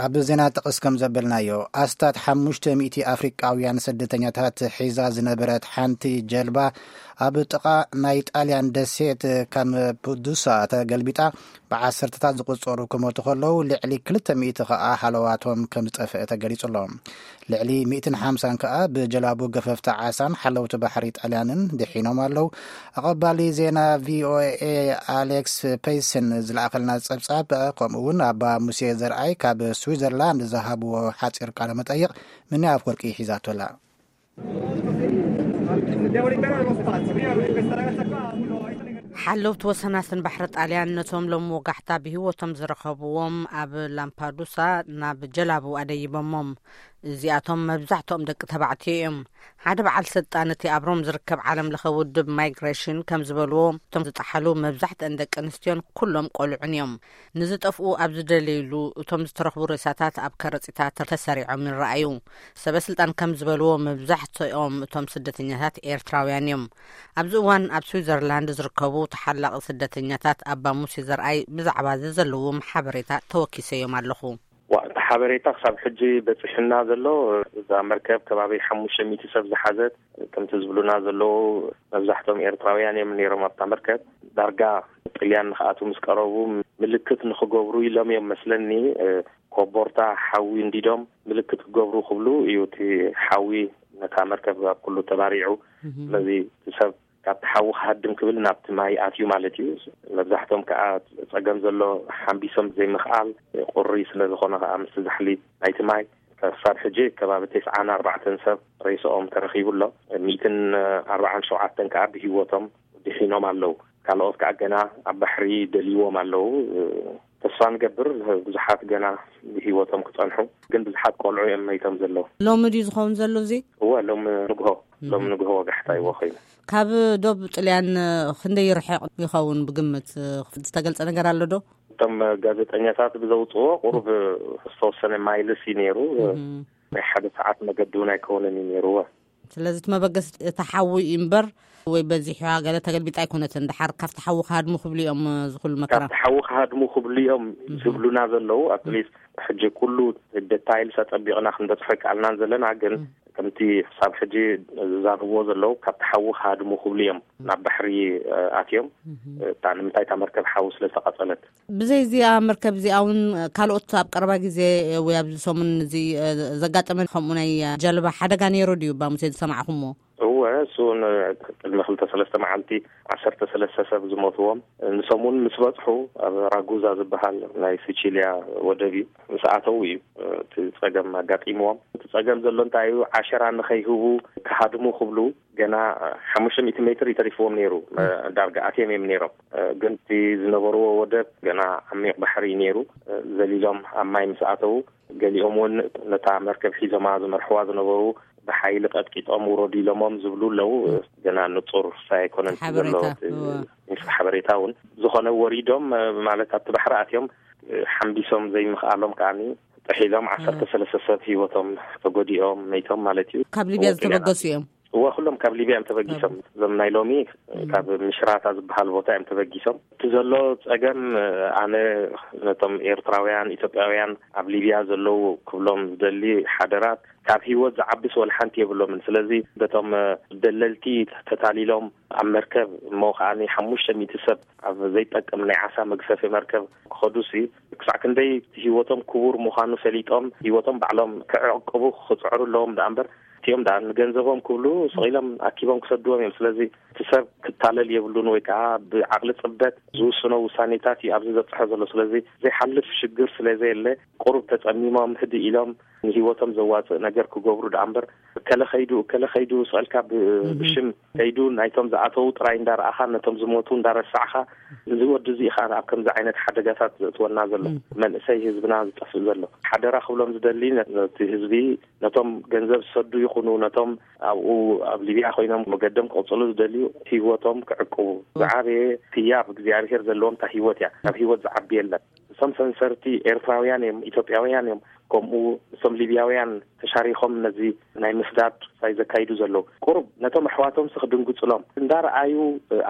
ኣብ ዜና ጥቕስ ከም ዘበልናዮ፣ ኣስታት ሓሙሽተ ሚእቲ ኣፍሪቃውያን ስደተኛታት ሒዛ ዝነበረት ሓንቲ ጀልባ ኣብ ጥቓ ናይ ጣልያን ደሴት ካምፓዱሳ ተገልቢጣ፣ ብዓሰርተታት ዝቑጸሩ ክሞቱ ከለዉ፣ ልዕሊ ክልተ ሚእቲ ከኣ ሃለዋቶም ከም ዝጠፍአ ተገሊጹ ኣሎ። ልዕሊ ሚእትን ሓምሳን ከኣ ብጀላቡ ገፈፍቲ ዓሳን ሓለውቲ ባሕሪ ጣልያንን ድሒኖም ኣለዉ። ኣቐባሊ ዜና ቪኦኤ ኣሌክስ ፔይስን ዝለኣኸልና ጸብጻብ፣ ከምኡ እውን ኣባ ሙሴ ዘርኣይ ካብ ስዊዘርላንድ ዝሃብዎ ሓጺር ቃለ መጠይቕ፣ ምንያ ኣፍወርቂ ሒዛቶ ኣላ። ሓለውቲ ወሰናስን ባሕሪ ጣልያን ነቶም ሎም ወጋሕታ ብህይወቶም ዝረኸብዎም ኣብ ላምፓዱሳ ናብ ጀላቡ ኣደይቦሞም። እዚኣቶም መብዛሕትኦም ደቂ ተባዕትዮ እዮም። ሓደ በዓል ስልጣን እቲ ኣብ ሮም ዝርከብ ዓለም ለኸ ውድብ ማይግሬሽን ከም ዝበልዎ፣ እቶም ዝጠሓሉ መብዛሕትአን ደቂ ኣንስትዮን ኩሎም ቆልዑን እዮም። ንዝጠፍኡ ኣብ ዝደለይሉ፣ እቶም ዝተረኽቡ ሬሳታት ኣብ ከረጺታት ተሰሪዖም ይረኣዩ። ሰበ ስልጣን ከም ዝበልዎ፣ መብዛሕትኦም እቶም ስደተኛታት ኤርትራውያን እዮም። ኣብዚ እዋን ኣብ ስዊዘርላንድ ዝርከቡ ተሓላቒ ስደተኛታት ኣባ ሙሴ ዘርኣይ ብዛዕባ እዚ ዘለዎም ሓበሬታ ተወኪሰዮም ኣለኹ። ዋ፣ እቲ ሓበሬታ ክሳብ ሕጂ በፂሑና ዘሎ፣ እዛ መርከብ ከባቢ ሓሙሽተ ሚእቲ ሰብ ዝሓዘት፣ ከምቲ ዝብሉና ዘለዉ፣ መብዛሕትኦም ኤርትራውያን እዮም ነይሮም ኣብታ መርከብ። ዳርጋ ጥልያን ንክኣትዉ ምስ ቀረቡ፣ ምልክት ንክገብሩ ኢሎም እዮም መስለኒ፣ እ፣ ኮቦርታ ሓዊ እንዲዶም ምልክት ክገብሩ ክብሉ እዩ እቲ ሓዊ ነታ መርከብ ኣብ ኩሉ ተባሪዑ። እህ። ስለዚ እቲ ሰብ ካብቲ ሓዊ ክሃድም ክብል ናብቲ ማይ ኣትዩ ማለት እዩ። መብዛሕትኦም ከኣ ጸገም ዘሎ ሓምቢሶም ዘይምኽኣል፣ ቁሪ ስለ ዝኾነ ከኣ ምስቲ ዛሕሊ ናይቲ ማይ፣ ክሳብ ሕጂ ከባቢ ተስዓን ኣርባዕተን ሰብ ሬስኦም ተረኺቡ ኣሎ። ሚእትን ኣርባዓን ሸውዓተን ከኣ ብህይወቶም ድሒኖም ኣለዉ። ካልኦት ከኣ ገና ኣብ ባሕሪ ደልይዎም ኣለዉ። ተስፋ ንገብር ብዙሓት ገና ብህይወቶም ክጸንሑ፣ ግን ብዙሓት ቆልዑ እዮም መይቶም ዘለዉ። ሎሚ ድዩ ዝኸውን ዘሎ እዚ? እወ፣ ሎሚ ንግሆ፣ ሎሚ እህ። ንግሆ ወጋሕታ ይዎ ኮይኑ። ካብ ዶብ ጥልያን ክንደይ ይርሕቕ ይኸውን ብግምት? ዝተገልጸ ነገር ኣሎ ዶ? እቶም ጋዜጠኛታት ብዘውጽዎ ቁሩብ ዝተወሰነ ማይልስ እዩ ነይሩ። እህ። ናይ ሓደ ሰዓት መገዲ እውን ኣይከውንን እዩ ነይሩ። እወ። ስለዚ እቲ መበገሲ እቲ ሓዊ እዩ እምበር፣ ወይ በዚሕዋ ገለ ተገልቢጣ ኣይኮነትን። ድሓር ካብቲ ሓዊ ክሃድሙ ክብሉ እዮም፣ እዚ ኩሉ መከራ። ካብቲ ሓዊ ክሃድሙ ክብሉ እዮም እህ። ዝብሉና ዘለዉ። ኣትሊስት ሕጂ ኩሉ ደታይልስ ኣጸቢቕና ክንበጽሖ ኣይከኣልናን ዘለና፣ ግን እህ። ከምቲ ክሳብ ሕጂ ዝዛረብዎ ዘለዉ፣ ካብቲ ሓዊ ክሃድሙ ክብሉ እዮም ናብ ባሕሪ፣ እ፣ ኣትዮም። እህ። እታ ንምንታይ እታ መርከብ ሓዊ ስለ ዝተቓጸለት። ብዘይ እዚኣ መርከብ እዚኣ እውን ካልኦት ኣብ ቀረባ ግዜ ወይ ኣብዚ ሰሙን እዚ፣ እ፣ ዘጋጠመ ከምኡ ናይ ጀልባ ሓደጋ ነይሩ ድዩ፣ ባሙሴ ዝሰማዕኹምዎ? እወ፣ እሱ እውን ቅድሚ ክልተ ሰለስተ መዓልቲ ዓሰርተ ሰለስተ ሰብ ዝሞትዎም፣ ንሶም እውን ምስ በጽሑ ኣብ ራጉዛ ዝበሃል ናይ ሲቺልያ ወደብ እዩ፣ ምስ ኣተዉ እዩ እቲ ጸገም ኣጋጢምዎም። እቲ ጸገም ዘሎ እንታይ እዩ፣ ዓሸራ ንኸይህቡ ክሃድሙ ክብሉ ገና ሓሙሽተ ሚእቲ ሜትር እዩ ተሪፍዎም ነይሩ። እ። ዳርጋ ኣትዮም እዮም ነይሮም። እ፣ ግን እቲ ዝነበርዎ ወደብ ገና ዓሚቕ ባሕሪ እዩ ነይሩ። እ፣ ዘሊሎም ኣብ ማይ ምስ ኣተዉ፣ ገሊኦም እውን ነታ መርከብ ሒዞማ ዝመርሕዋ ዝነበሩ ብሓይሊ ቀጥቂጦም ውረዱ ኢሎሞም ዝብሉ ኣለዉ። እ። ገና ንጹር ሳይ ኣይኮነን እቲ ዘሎ ሓበሬታ። እቲ እወ። ሓበሬታ እውን። ዝኾነ ወሪዶም፣ እ፣ ማለት ኣብቲ ባሕሪ ኣትዮም፣ እ፣ ሓምቢሶም ዘይምኽኣሎም ከኣኒ ጥሒሎም እወ። ዓሰርተ ሰለስተ ሰብ ህይወቶም ተጎዲኦም፣ መይቶም ማለት እዩ። ካብ ሊብያ እወ፣ ጥልያን ዝተበገሱ እዮም። እወ፣ ኩሎም ካብ ሊብያ እዮም ተበጊሶም። ካብ እዞም ናይ ሎሚ እም። ካብ ምሽራታ ዝበሃል ቦታ እዮም ተበጊሶም። እቲ ዘሎ ጸገም፣ ኣነ ነቶም ኤርትራውያን፣ ኢትዮጵያውያን ኣብ ሊብያ ዘለዉ ክብሎም ዝደሊ ሓደራት፣ ካብ ህይወት ዝዓብስ ወላ ሓንቲ የብሎምን። ስለዚ በቶም ደለልቲ ተታሊሎም ኣብ መርከብ እሞ ከኣ ሓሙሽተ ሚእቲ ሰብ ኣብ ዘይጠቅም ናይ ዓሳ መግፈፊ መርከብ ክኸዱሲ፣ ክሳዕ ክንደይ ህይወቶም ክቡር ምዃኑ ፈሊጦም፣ ህይወቶም ባዕሎም ክዕቅቡ ክጽዕሩ ኣለዎም ደኣ እምበር፣ እቲኦም ደኣ ንገንዘቦም ክብሉ ስቕ ኢሎም ኣኪቦም ክሰድዎም እዮም። ስለዚ እቲ ሰብ ክታለል የብሉን፣ ወይ ከኣ ብዓቕሊ ጽበት ዝውስኖ ውሳኔታት እዩ ኣብዚ ዘብጽሖ ዘሎ። ስለዚ ዘይሓልፍ ሽግር ስለ ዘየለ፣ ቁሩብ ተጸሚሞም፣ ህድእ ኢሎም፣ ንህይወቶም ዘዋጽእ ነገር ክገብሩ ደኣ እምበር፣ እከለ ኸይዱ፣ እከለ ኸይዱ፣ ስቕ ኢልካ ብ-፣ እህ። ብሽም ከይዱ፣ ናይቶም ዝኣተዉ ጥራይ እንዳረኣኻ፣ ነቶም ዝሞቱ እንዳረሳዕኻ፣ እዚ ወዲ እዚ ኢኻ ኣብ ከምዚ ዓይነት ሓደጋታት ዘእትወና ዘሎ፣ እም። መንእሰይ ህዝብና ዝጠፍእ ዘሎ። ሓደራ ክብሎም ዝደሊ፣ ነ-፣ ነቲ ህዝቢ፣ ነቶም ገንዘብ ዝሰዱ ይኹኑ፣ ነቶም ኣብኡ ኣብ ሊብያ ኮይኖም መገዶም ክቕጽሉ ዝደልዩ፣ ህይወቶም ክዕቅቡ። እም። ዝዓበየ ህያብ እግዚኣብሔር ዘለዎም እታ ህይወት እያ። ካብ ህይወት ዝዓቢ የለን። ንሳ እቶም ሰንሰርቲ ኤርትራውያን እዮም፣ ኢትዮጵያውያን እዮም። ከምኡ እቶም ሊብያውያን ተሻሪኾም ነዚ ናይ ምስዳድ ሳይ ዘካይዱ ዘለዉ፣ ቁሩብ ነቶም ኣሕዋቶም ሲ ክድንግጹሎም እንዳረኣዩ፣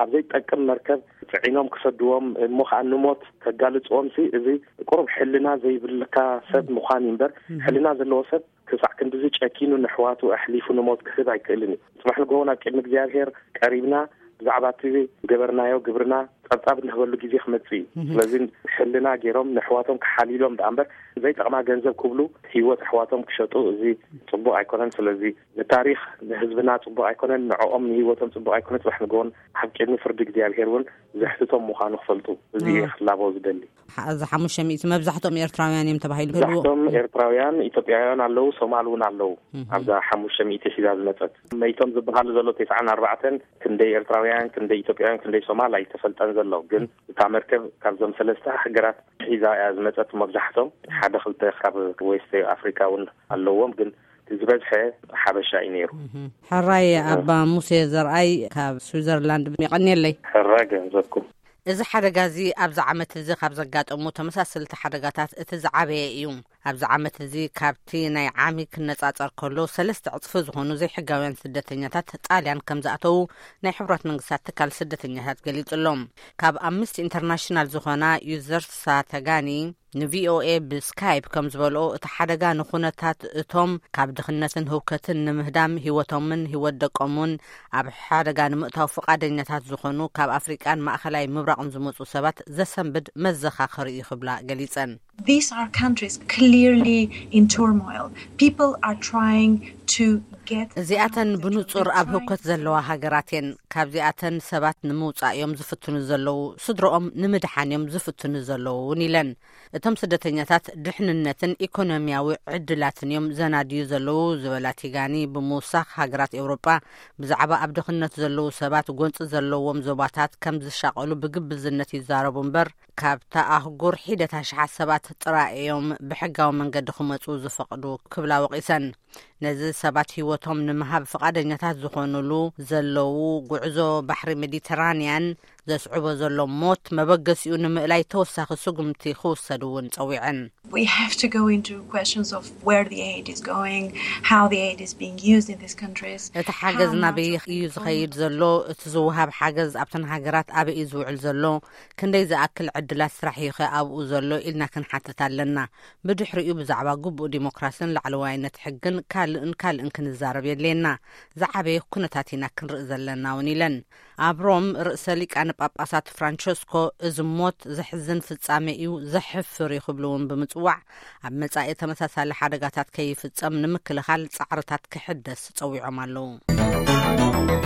ኣብ ዘይጠቅም መርከብ ጽዒኖም ክሰድዎም፣ እሞ ኸኣ ንሞት ከጋልጽዎም ሲ፣ እዚ ቁሩብ ሕልና ዘይብልካ ሰብ ምዃን እዩ እምበር፣ ሕልና ዘለዎ ሰብ ክሳዕ ክንድዚ ጨኪኑ ንሕዋቱ ኣሕሊፉ ንሞት ክህብ ኣይክእልን እዩ። ጽባሕ ንግሆ ናብ ቅድሚ እግዚኣብሔር ቀሪብና ብዛዕባ እቲ ዝገበርናዮ ግብርና ጸብጻብ እንህበሉ ግዜ ክመጽእ እዩ። ስለዚ ሕልና ገይሮም ንሕዋቶም ክሓልዩሎም ደኣ እምበር ዘይጠቕማ ገንዘብ ክብሉ ህይወት ኣሕዋቶም ክሸጡ፣ እዚ ጽቡቕ ኣይኮነን። ስለዚ ንታሪኽ ንህዝብና ጽቡቕ ኣይኮነን፣ ንዕኦም ንህይወቶም ጽቡቕ ኣይኮነን። ጽባሕ ንግሆን ኣብ ቅድሚ ፍርዲ እግዚኣብሔር እውን ዘሕትቶም ምዃኑ ክፈልጡ፣ እዚ እየ ክላቦ ዝደሊ። ሓ- እዚ ሓሙሽተ ሚእቲ መብዛሕትኦም ኤርትራውያን እዮም ተባሂሉ ይህልዎ። መብዛሕትኦም ኤርትራውያን፣ ኢትዮጵያውያን ኣለዉ፣ ሶማል እውን ኣለዉ። ኣብዛ ሓሙሽተ ሚእቲ ሒዛ ዝመጸት መይቶም ዝበሃሉ ዘሎ ተስዓን ኣርባዕተን ክንደይ ኤርትራውያን፣ ክንደይ ኢትዮጵያውያን፣ ክንደይ ሶማል ኣይተፈልጠን ዘሎ። ግን እታ መርከብ ካብዞም ሰለስተ ሃገራት ሒዛ እያ ዝመጸት። መብዛሕቶም ሓደ ክልተ ካብ ዌስት ኣፍሪካ እውን ኣለዎም፣ ግን እቲ ዝበዝሐ ሓበሻ እዩ ነይሩ። ሕራይ ኣባ ሙሴ ዘርኣይ ካብ ስዊዘርላንድ፣ የቐንየለይ። ሕራይ ገንዘብኩም። እዚ ሓደጋ እዚ ኣብዚ ዓመት እዚ ካብ ዘጋጠሙ ተመሳሰልቲ ሓደጋታት እቲ ዝዓበየ እዩ። ኣብዚ ዓመት እዚ ካብቲ ናይ ዓሚ ክነጻጸር ከሎ ሰለስተ ዕጽፊ ዝኾኑ ዘይሕጋውያን ስደተኛታት ጣልያን ከም ዝኣተዉ ናይ ሕቡራት መንግስታት ትካል ስደተኛታት ገሊጹ ኣሎ። ካብ ኣምነስቲ ኢንተርናሽናል ዝኾና ዩዘርሳ ተጋኒ ንቪኦኤ ብስካይፕ ከም ዝበልኦ፣ እቲ ሓደጋ ንኹነታት እቶም ካብ ድኽነትን ህውከትን ንምህዳም ህይወቶምን ህይወት ደቆምን ኣብ ሓደጋ ንምእታው ፍቓደኛታት ዝኾኑ ካብ ኣፍሪቃን ማእኸላይ ምብራቕን ዝመጹ ሰባት ዘሰንብድ መዘኻኸሪ እዩ ክብላ ገሊጸን። These are countries clearly in turmoil. People are trying to get እዚኣተን ብንጹር ኣብ ህውከት ዘለዋ ሃገራት እየን። ካብዚኣተን ሰባት ንምውጻእ እዮም ዝፍትኑ ዘለዉ፣ ስድሮኦም ንምድሓን እዮም ዝፍትኑ ዘለዉ እውን ኢለን። እቶም ስደተኛታት ድሕንነትን ኢኮኖሚያዊ ዕድላትን እዮም ዘናድዩ ዘለዉ ዝበላ ቲጋኒ ብምውሳኽ፣ ሃገራት ኤውሮጳ ብዛዕባ ኣብ ድኽነት ዘለዉ ሰባት ጎንጺ ዘለዎም ዞባታት ከም ዝሻቐሉ ብግብዝነት ይዛረቡ እምበር፣ ካብታ ኣህጉር ሒደት ኣሽሓት ሰባት ጥራይ እዮም ብሕጋዊ መንገዲ ክመጹ ዝፈቕዱ ክብላ ወቒሰን። ነዚ ሰባት ህይወቶም ንምሃብ ፍቓደኛታት ዝኾኑሉ ዘለዉ ጉዕዞ ባሕሪ ሜዲተራንያን ዘስዕቦ ዘሎ ሞት መበገሲኡ ንምእላይ ተወሳኺ ስጉምቲ ክውሰድ እውን ጸዊዐን። We have to go into questions of where the aid is going, how the aid is being used in these countries. እቲ ሓገዝ ናበይ እዩ ዝኸይድ ዘሎ? እቲ ዝወሃብ ሓገዝ ኣብተን ሃገራት ኣበይ እዩ ዝውዕል ዘሎ? ክንደይ ዝኣክል ዕድላት ስራሕ እዩ ኸ ኣብኡ ዘሎ ኢልና ክንሓትት ኣለና። ብድሕሪኡ ብዛዕባ ግቡእ ዲሞክራስን ላዕለዋይነት ሕግን ካልእን ካልእን ክንዛረብ የድልየና። ዝዓበየ ኩነታት ኢና ክንርኢ ዘለና እውን ኢለን። ኣብ ሮም ርእሰ ሊቃነ ጳጳሳት ፍራንቸስኮ፣ እዚ ሞት ዘሕዝን ፍጻሜ እዩ፣ ዘሕፍር እዩ ክብሉ እውን ብምጽዋዕ፣ ኣብ መጻኢ ተመሳሳሊ ሓደጋታት ከይፍጸም ንምክልኻል ጻዕርታት ክሕደስ ጸዊዖም ኣለዉ።